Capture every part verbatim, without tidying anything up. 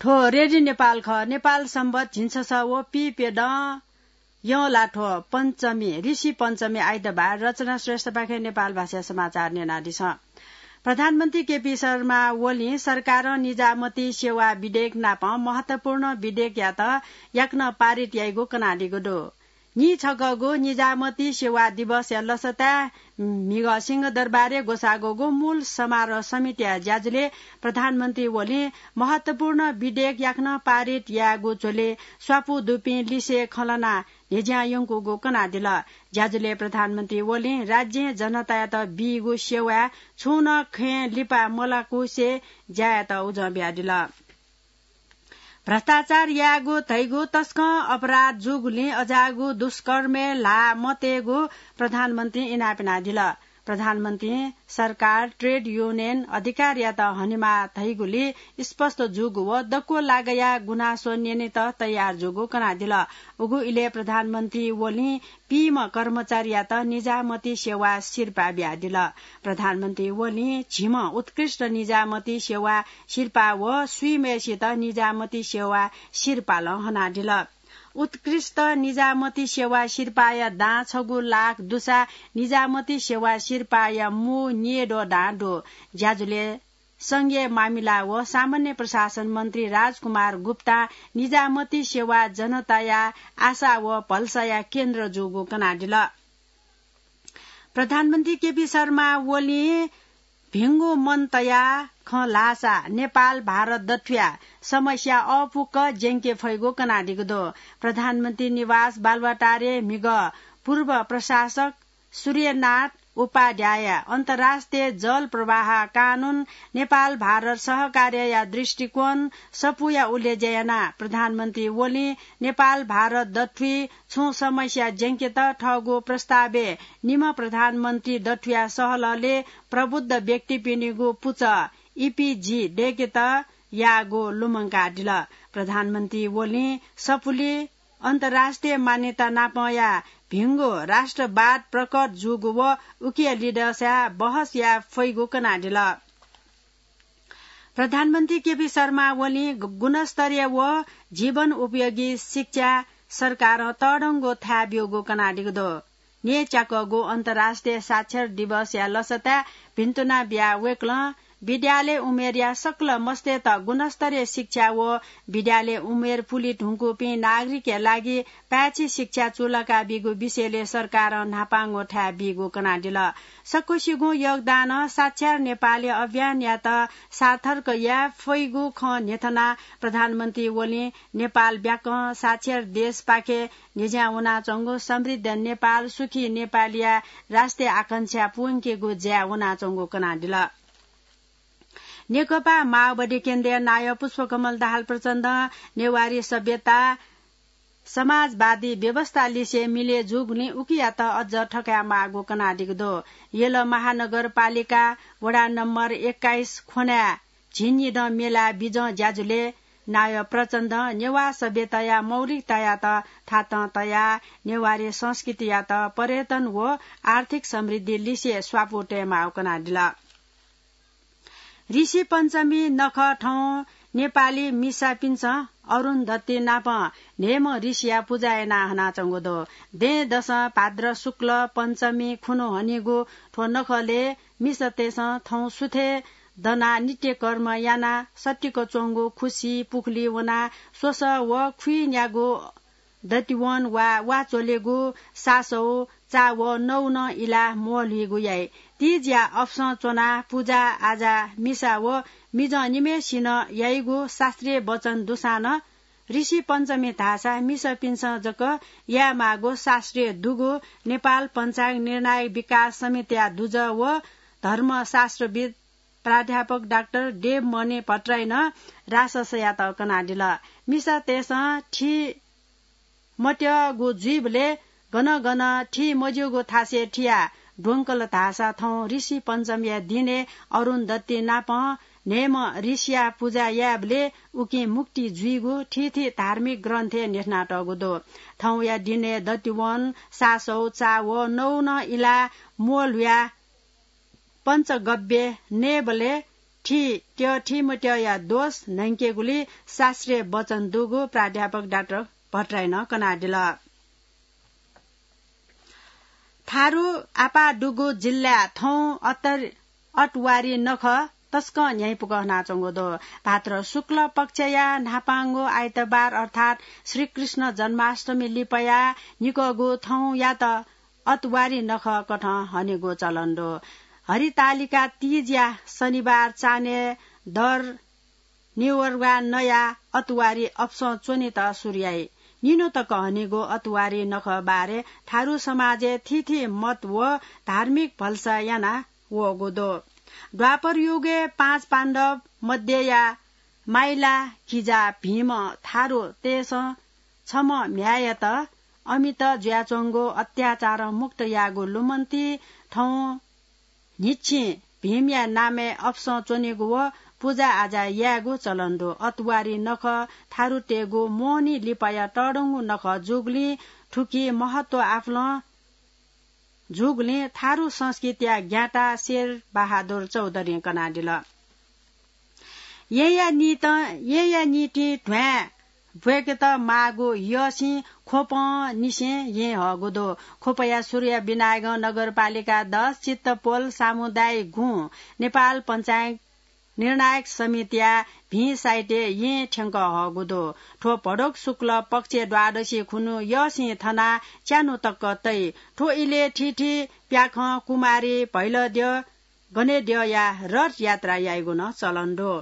थ्व रेडियो नेपाल खः। नेपाल संवत झिंछसः व पीप्यदँ यंलाथ्व पञ्चमी, ऋषि पञ्चमी आइतबार। रचना श्रेष्ठपाखें नेपाल भाषाया समाचार न्यनादिसँ। प्रधानमन्त्री केपी शर्मा ओलीं सरकारं निजामती सेवा विधेयक नाप महत्वपूर्ण विधेयकयात याकनं पारित याइगु कनादीगु दु। नीछकःगु निजामती सेवा दिवसया लसताय् म्हिगः सिंहदरबारय् ग्वसाःगुगु मूल समारोह समितिया ज्याझ्वलय् प्रधानमन्त्री ओलीं महत्वपूर्ण विधेयक याकनं पारित यायेगु झ्वलय् स्वापू दुपिं लिसें खँ ल्हानाः न्ह्यज्यां यंकूगु कनादिल। ज्याझ्वलय् प्रधानमन्त्री ओलीं राज्यं जनतायात बीगु सेवाय् छुं नं खँय् लिपा मलाकुसे ज्या यायेत उजं बियादिल। भ्रष्टाचार यायेगु धइगु तसकं अपराध जूगुलिं अज्याःगु दुष्कर्मय् ल्हाः मतयेगु प्रधानमन्त्रीं इनाप यानादिल। प्रधानमन्त्रीं सरकार ट्रेड युनियन अधिकारयात हनेमाः धइगुली स्पष्ट जूगु व दक्व लागाया गुनासो न्यनेत तयार जूगु कनादिल। उगु इलय् प्रधानमन्त्री ओलीं पीम्ह कर्मचारीयात निजामती सेवा सिरपाः बियादिल। प्रधानमन्त्री ओलीं झिम्ह उत्कृष्ट निजामती सेवा सिरपाः व स्वीम्हय्सित निजामती सेवा सिरपालं हनादिल। उत्कृष्ट निजामती सेवा सिरपाःया दां छगू लाख दुसा निजामती सेवा सिरपाःया मू न्येद्वः दां दु। ज्याझ्वलय् संघीय मामिला व सामान्य प्रशासन मन्त्री राजकुमार गुप्तां निजामती सेवा जनताया आशा व भलसाया केन्द्र जूगु कनादिल। प्रधानमन्त्री केपी शर्मा ओलीं भिंगु मन तयाः खँ ल्हाःसा नेपाल भारत दथुया समस्या अःपुक्क ज्यंके फइगु कनादीगु दु। प्रधानमन्त्री निवास बालुवाटारय् म्हिगः पूर्व प्रशासक सूर्यनाथ उपाध्याय अन्तर्राष्ट्रिय जल प्रवाह कानून, नेपाल भारत सहकार्यया दृष्टिकोण सफूया उलेज्या यानाः प्रधानमन्त्री ओलीं नेपाल भारत दथुइ छुं समस्या ज्यंकेत थःगु प्रस्तावय् निम्ह प्रधानमन्त्री दथुया सहलहलय् प्रबुद्ध व्यक्तिपिनिगु पुचः, इपिजी, दय्केत याःगु लुमंकादिल। प्रधानमन्त्री ओलीं सफुली अन्तर्राष्ट्रिय मान्यता नापंया भिंगु राष्ट्रवाद प्रकट जूगु व उकिया लिधंसाय् बहस याये फइगु कनादिल। प्रधानमन्त्री केपी शर्मा ओलीं गु-, गुणस्तरीय व जीवन उपयोगी शिक्षा सरकारं तःधंगु थाय् ब्यूगु कनादीगु दु। न्यय्च्याकःगु अन्तर्राष्ट्रिय साक्षर दिवसया लसताय् भिन्तुना बियाः वय्कलं विद्यालय उमेरया सकल मस्तय्त गुणस्तरीय शिक्षा व विद्यालय उमेर पुले धुंकूपिं नागरिकया लागि पाय्छि शिक्षा चूलाका बीगु विषयलय् सरकारं न्हापांगु थाय् बीगु कनादिल। सकसिगुं योगदानं साक्षर नेपाली अभियानयात सार्थक याये फइगु खँ न्ह्यथनाः प्रधानमन्त्री ओलीं नेपाल ब्याकं साक्षर देशपाखे न्ह्यज्यां वनाच्वंगु समृद्ध नेपाल, सुखी नेपालया राष्ट्रिय आकांक्षा पूवंकेगु ज्याय् वनाच्वंगु कनादिल। नेकपा माओवादी केन्द्रया नायः पुष्पकमल दाहाल प्रचण्डं नेवारी सभ्यता, समाजवादी व्यवस्था लिसे मिले जूगुलिं उकियात अझ थकायेमाःगु कनादीगु दु। यल महानगरपालिका वडा नम्बर एक्काइस ख्वनाय् झिंनिदँ मेलाय् बिजं ज्याझ्वलय् नायः प्रचण्डं नेवाः सभ्यताया मौलिकतायात थातं तयाः नेवारी संस्कृतियात पर्यटन व आर्थिक समृद्धि लिसे स्वापू तयेमाःगु कनादिल। ऋषि पञ्चमी नखः थौं नेपाली मिसापिन्सं अरुन्धती नाप न्हय्म्ह ऋषिया पुजा याना हनाच्वंगु दु। दँय्‌दसं भाद्र शुक्ल पञ्चमी खुन्हु हनीगु थ्व नखलय् मिसातय्सं थौं सुथय् दनाः नित्यकर्म यानाः सत्तिक च्वंगु खुसि पुखुली वनाः स्वसः व खुइन्यागू दतिवन वा वा च्वलेगु सासौ, चावः, नौ नं इलाः म्वःल्हुइगु याइ। तीजया अपसं च्वनाः पुजा आजा मिसा व मिजं निम्हय्सिनं याइगु शास्त्रीय वचन दुसां नं ऋषि पञ्चमी धाःसा मिसापिन्सं जक यायेमाःगु शास्त्रीय दुगु नेपाल पञ्चाङ्ग निर्णायक विकास समितिया दुजः व धर्मशास्त्रविद् प्राध्यापक डाक्टर देवमणि भट्टराईं नं राससयात कनादिल। मिसातय्सं थी मत्यःगु जुइबलय् गन गन थी मज्यूगु थासय् थियाः द्वंकल धाःसा थौं ऋषि पञ्चमीया दिनय् अरुन्धती नाप न्हय्म्ह ऋषिया पुजा यायेबलय् उकिं मुक्ति जुइगु थीथी धार्मिक ग्रन्थय् न्ह्यथनातःगु दु। थौंया दिनय् दतिवन, सासौ, चावः, नौ नं इलाः म्वःल्हुयाः पञ्चगव्य नयेबलय् थि त्यः थि मत्यःया दोष न्हय्केगुली शास्त्रीय वचन दुगु प्राध्यापक डाक्टर भट्टराईं कनादिल। थारु आपाः दुगु जिल्लाय् थौं अतर-, अतवारी नखः तसकं न्ह्याइपुक हनाच्वंगु दु। भाद्र शुक्ल पक्षया न्हापांगु आइतबार अर्थात् श्रीकृष्ण जन्माष्टमी लिपया निकःगु थौंयात अतवारी नखः कथं हनेगु चलन दु। हरितालिका तीजया शनिबार चान्हय् दर निवर्गा नयाः अतवारी अपसं च्वनेत सुरु याइ। निन्हु तक हनेगु अतवारी नखः बारे थारु समाजय् थीथी मत व धार्मिक भलसा याना वःगु दु। द्वापर युगय् पाँच पाण्डव मध्यया माइला किजा भीम थारुतय्सं छम्ह म्ह्याय्‌यात अमित जुयाच्वंगु अत्याचारं मुक्त याःगु लुमन्ति थौं न्हिच्छिं भीमया नामय् अपसं च्वनेगु व पुजा आजा यायेगु चलन दु। अतवारी नखः थारुतय्गु मोहनी लिपाया तःधंगु नखः जूगुलिं थुकी महत्व आफलं जूगुलिं थारु संस्कृतिया ज्ञाता शेर बहादुर चौधरीं कनादिल। येँया निंतिं, येँया निंतिं ध्वाँय् ब्वय्केत माःगु यःसिं ख्वपंनिसें येँ हःगु दु। ख्वपया सुरुया विनायगं नगरपालिका दस, चित्तपोल, सामुदायिक गुँ, नेपाल पञ्चायत निर्णायक समितिया भिं साइतय् येँ थ्यंक हःगु दु। थ्व भदौ शुक्ल पक्षय् द्वादशी खुन्हु यःसिं थनाः च्यान्हु तक तइ। थ्व इलय् थीथी प्याखं कुमारी भैलद्यः गनेद्यःया रथ यात्रा याइगु नं चलन दु।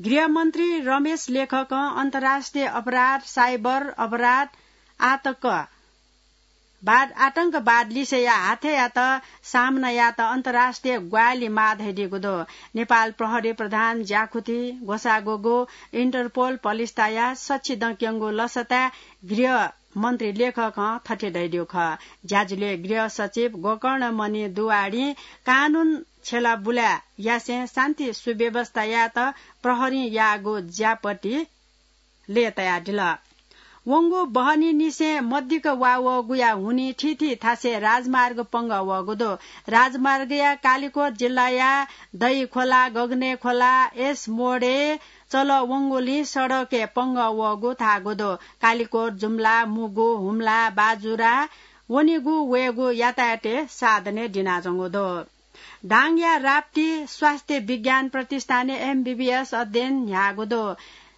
गृहमन्त्री रमेश लेखकं अन्तर्राष्ट्रिय अपराध, साइबर अपराध, आतंकवाद, आतंकवाद लिसेया हाथय्यात सामना यायेत अन्तर्राष्ट्रिय ग्वाहालि माः धयादीगु दु। नेपाल प्रहरी प्रधान ज्याखुति ग्वसाः ग्वःगु इन्टरपोल पलिस्ताया सछि दँक्यंगु लसताय् गृह मन्त्री लेखकं थथे धयादीगु खः। ज्याझ्वलय् गृह सचिव गोकर्णमणि दुवाडीं कानून छ्यला बुलाय् यासें शान्ति सुव्यवस्था यायेत प्रहरीं याःगु ज्यापति लय्तायादिल। वंगु बहनीनिसें मदिक्क वा वःगुया हुनिं थीथी थासय् राजमार्ग पंगः वःगु दु। राजमार्गया कालिकोट जिल्लाया दहिखोला, गगनेखोला, एस मोडय् चलः वंगुलिं सडकय् पंगः वःगु धाःगु दु। कालिकोट, जुम्ला, मुगु, हुम्ला, बाजुरा वनेगु वयेगु यातायातय् साधनय् दिनाच्वंगु दु। दाङया राप्ती स्वास्थ्य विज्ञान प्रतिष्ठानय् एमबीबीएस अध्ययन न्ह्याःगु दु।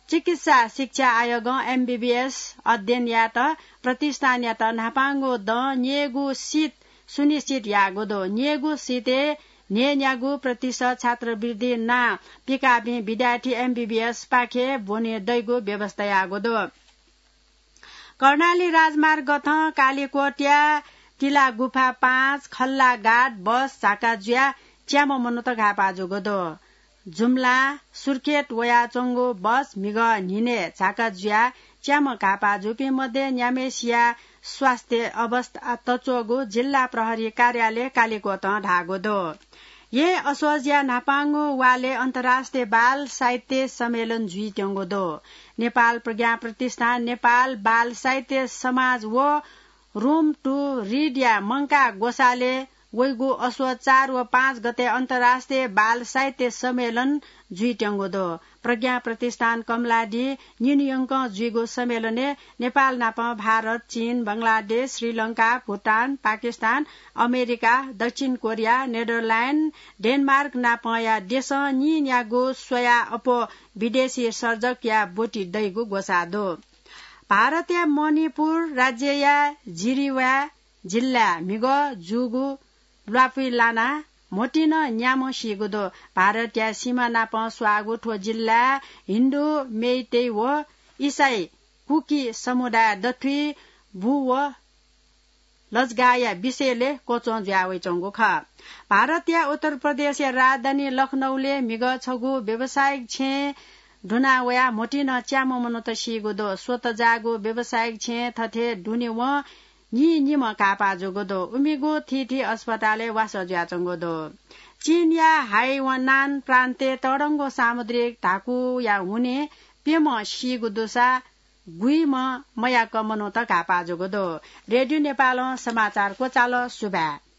चिकित्सा शिक्षा आयोगं एमबीबीएस अध्ययन यायेत प्रतिष्ठानयात न्हापांगु दँ न्ययेगु सिट सुनिश्चित याःगु दु। न्ययेगु सिटय् न्हय्न्यागू प्रतिशत छात्रवृत्ति नां पिकाःपिं विद्यार्थी एमबीबीएस पाखे ब्वने दइगु व्यवस्था याःगु दु। कर्णाली राजमार्ग गथं कालिकोटया तिला गुफा पाँच खल्ला घाट बस झाका जुयाः च्याम्ह मनूत घाःपाः जूगु दु। जुम्ला सुर्खेत वयाच्वंगु बस म्हिगः न्हिनय् झाका जुयाः च्याम्ह घाःपाः जूपिं मध्ये न्याम्हेसिया स्वास्थ्य अवस्था तच्वःगु जिल्ला प्रहरी कार्यालय कालिकोटं धाःगु दु। येँ असोजया न्हापांगु वालय् अन्तर्राष्ट्रिय बाल साहित्य सम्मेलन जुइत्यंगु दु। नेपाल प्रज्ञा प्रतिष्ठान, नेपाल बाल साहित्य समाज व Room to Read या मंकाः ग्वसालय् वइगु असोज चार व पाँच गते अन्तर्राष्ट्रिय बाल साहित्य सम्मेलन जुइत्यंगु दु। प्रज्ञा प्रतिष्ठान कमलादी निन्हुयंकं जुइगु सम्मेलनय् नेपाल नाप भारत, चीन, बंगलादेश, श्रीलंका, भुटान, पाकिस्तान, अमेरिका, दक्षिण कोरिया, नेदरल्याण्ड, डेनमार्क नापंया देशं नीन्यागू स्वयाः अप्वः विदेशी सर्जकया ब्वति दइगु ग्वसाः दु। भारतया मणिपुर राज्यया जिरीवाः जिल्लाय् म्हिगः जूगु ल्वापुइ लानाः म्होतिं नं न्याम्ह सीगु दु। भारतया सीमा नाप स्वाःगु थ्व जिल्लाय् हिन्दू, मेइतेइ व इसाई, कुकी समुदाय दथुइ बु व लजगाःया विषयलय् क्वच्वं जुया वइच्वंगु खः। भारतया उत्तर प्रदेशया राजधानी लखनऊलय् म्हिगः छगू व्यावसायिक छेँय् दुना वयाः म्होतिं नं च्याम्ह मनूत सीगु दु। स्वत जाःगु व्यावसायिक छेँय् थथे दुनेवं नीनिम्ह घाःपाः जूगु दु। उमिगु थीथी अस्पतालय् वासः जुयाच्वंगु दु। चीनया हाइनान प्रान्तय् तःधंगु सामुद्रिक धाकुया हुनिं प्यम्ह सीगु दुसा गुइम्ह मयाक मनूत घाःपाः जूगु दु। रेडियो नेपालं समाचार क्वचाल। सुभाय्।